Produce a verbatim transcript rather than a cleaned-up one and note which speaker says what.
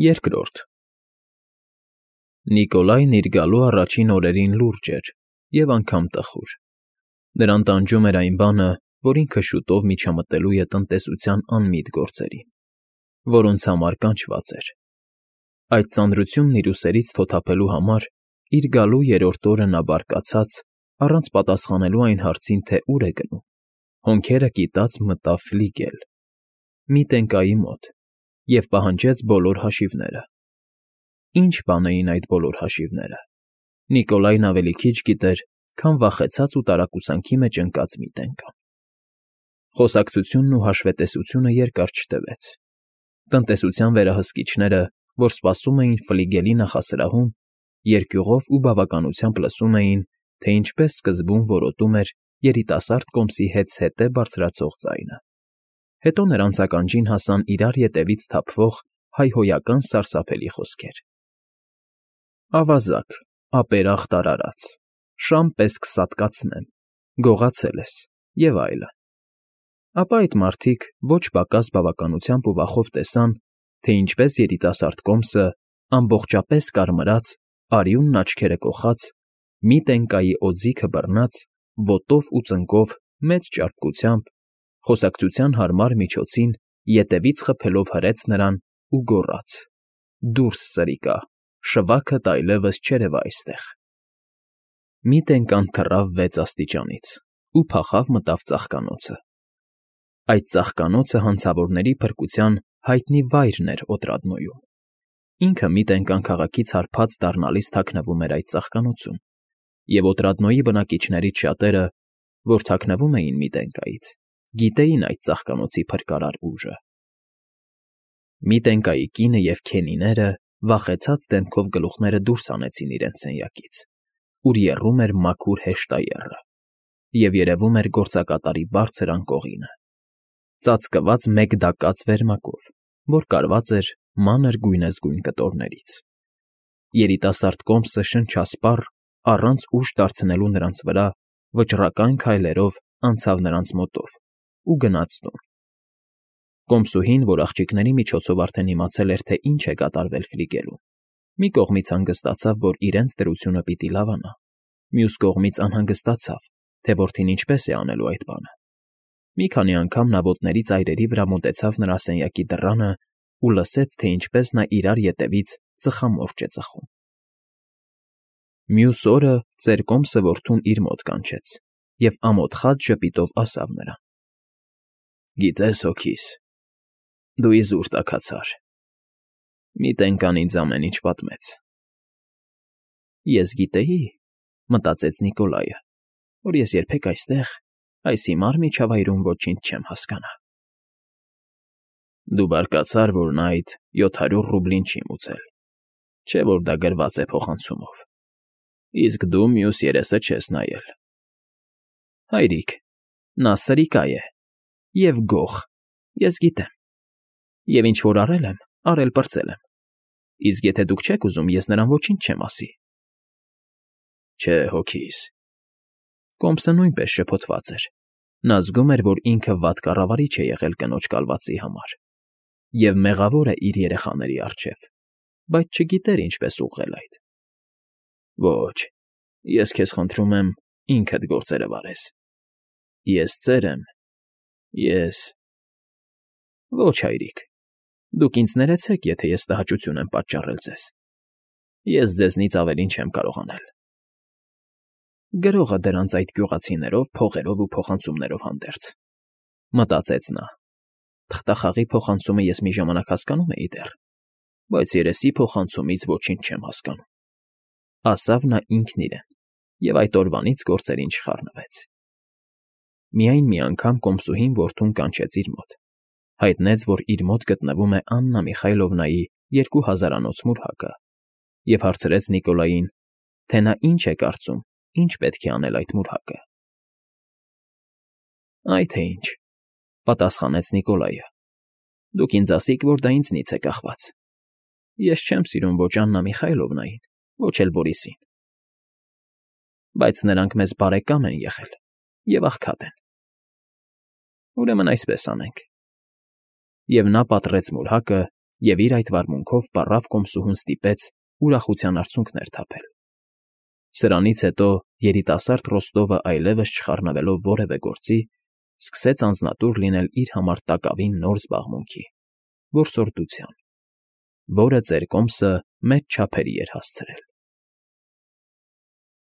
Speaker 1: Երկրորդ Նիկոլայն իր գալու առաջին օրերին լուրջ էր և անգամ տխուր. նրան տանջում էր այն բանը, որ ինքը շուտով միջամտելու է տնտեսության անմիտ գործերին, որոնց համար կանչված էր. այդ ծանրությունն իր ուսերից թոթափելու համար իր գալու երրորդ օրը նա բարկացած, առանց պատասխանելու այն հարցին, թե ուր է գնում, հոնքերը կիտած մտավ ֆլիգել, մի տնկայի մոտ, և պահանջեց բոլոր հաշիվները։ Ինչ բան էին այդ բոլոր հաշիվները, Նիկոլայն ավելի քիչ գիտեր, քան վախեցած ու տարակուսանքի մեջ ընկած մի տնկան։ Խոսակցությունն ու հաշվետեսությունը երկար չտևեց։ Տնտեսության վերահսկիչները, որ սպասում էին ֆլիգելի նախասրահում, երկյուղով ու բավականությամբ լսում էին, թե ինչպես սկզբում որոտում էր երիտասարդ կոմսի հետզհետե բարձրացող ձայնը, հետո նրանց ականջին հասան իրար ետևից թափվող հայհոյական սարսափելի խոսքեր. «Ավազակ, ապերախտ արարած, շան պես կսատկացնեմ, գողացել ես» և այլն։ Ապա այդ մարդիկ ոչ պակաս բավականությամբ ու վախով տեսան, թե ինչպես երիտասարդ կոմսը, ամբողջապես կարմրած, արյունն աչքերը կոխած, մի տենկայի օձիքը բռնած, ոտով ու ծնկով մեծ ճարպկությամբ, խոսակցության հարմար միջոցին ետևից խփելով հրեց նրան ու գոռաց. «Դուրս, սրիկա, շվաքդ այլևս չերևա այստեղ»։ Մի տենկան թռավ վեց աստիճանից ու փախավ մտավ ծաղկանոցը։ Այդ ծաղկանոցը հանցավորների փրկության հայտնի վայրն էր Օտրադնոյում։ Ինքը մի տենկան քաղաքից հարբած դառնալիս թաքնվում էր այդ ծաղկանոցում, և Օտրադնոյի բնակիչներից շատերը, որ թաքնվում էին մի տենկայից, գիտեին այդ ծաղկանոցի փրկարար ուժը։ Մի տենկայի կինը և քենիները վախեցած դեմքով գլուխները դուրս հանեցին իրենց սենյակից, ուր եռում էր մաքուր հեշտաեռը, և երևում էր գործակատարի բարձր անկողինը, ծածկված մեկ դակած վերմակով, որ կարված էր մանր գույնզգույն կտորներից։ Երիտասարդ կոմսը շնչասպառ, առանց ուժ դարձնելու նրանց վրա, վճռական քայլերով անցավ նրանց մոտով ու գնաց տուն։ Կոմսուհին, որ աղջիկների միջոցով արդեն իմացել էր, թե ինչ է կատարվել ֆլիգելում, մի կողմից հանգստացավ, որ իրենց դրությունը պիտի լավանա, մյուս կողմից անհանգստացավ, թե որդին ինչպես է անելու այդ բանը։ Մի քանի անգամ նա ոտների ծայրերի վրա մոտեցավ նրա սենյակի դռանը ու լսեց, թե ինչպես նա իրար ետևից ծխամորճ է ծխում։ Մյուս օրը ծեր կոմսը որդուն իր մոտ կանչեց և ամոթխած ժպիտով ասավ նրան. «Գիտես, հոգիս, դու իզուր տաքացար։ Մի տենկան ինձ ամեն ինչ պատմեց»։ «Ես գիտեի,֊ մտածեց Նիկոլայը,֊ որ ես երբեք այստեղ, այս հիմար միջավայրում ոչինչ չեմ հասկանա»։ «Դու բարկացար, որ նա այդ յոթ հարյուր ռուբլին չի մուծել, չէ՞ որ դա գրված է փոխանցումով, իսկ դու մյուս երեսը չես նայել»։ «Հայրիկ, նա սրիկա է և գող, ես գիտեմ, և ինչ որ արել եմ, արել֊պրծել եմ, իսկ եթե դուք չեք ուզում, ես նրան ոչինչ չեմ ասի»։ «Չէ, հոգիս»։ Կոմսը նույնպես շփոթված էր. նա զգում էր, որ ինքը վատ կառավարիչ է եղել կնոջ կալվածի համար և մեղավոր է իր երեխաների առջև, բայց չգիտեր ինչպես ուղղել այդ։ «Ոչ, ես քեզ խնդրում եմ, ինքդ գործերը վարես։ Ես ծեր եմ, ես…» «Ոչ, հայրիկ, դուք ինձ ներեցեք, եթե ես տհաճություն եմ պատճառել ձեզ։ Ես ձեզնից ավելին չեմ կարող անել»։ «Գրողը դրանց այդ գյուղացիներով, փողերով ու փոխանցումներով հանդերձ», մտածեց նա։ «Թղթախաղի փոխանցումը ես մի ժամանակ հասկանում էի դեռ, բայց երեսի փոխանցումից ոչինչ չեմ հասկանում», ասավ նա ինքն իրեն և այդ օրվանից գործերին չխառնվեց։ Միայն մի անգամ կոմսուհին որդուն կանչեց իր մոտ, հայտնեց, որ իր մոտ գտնվում է Աննա Միխայլովնայի երկու հազարանոց մուրհակը և հարցրեց Նիկոլային, թե նա ինչ է կարծում, ինչ պետք է անել այդ մուրհակը։ «Այ թե ինչ,֊ պատասխանեց Նիկոլայը,֊ դուք ինձ ասիք, որ դա ինձնից է կախված։ Ես չեմ սիրում ոչ Աննա Միխայլովնային, ոչ էլ Բորիսին, բայց նրանք մեզ բարեկամ են եղել և աղքատ են։ Ուրեմն այսպես անենք»։ Եվ նա պատռեց մուրհակը և իր այդ վարմունքով պառավ կոմսուհուն ստիպեց ուրախության արցունքներ թափել։ Սրանից հետո երիտասարդ Ռոստովը այլևս չխառնվելով որևէ գործի, սկսեց անձնատուր լինել իր համար տակավին նոր զբաղմունքի՝ որսորդության, որը ծեր կոմսը մեծ չափերի էր հասցրել։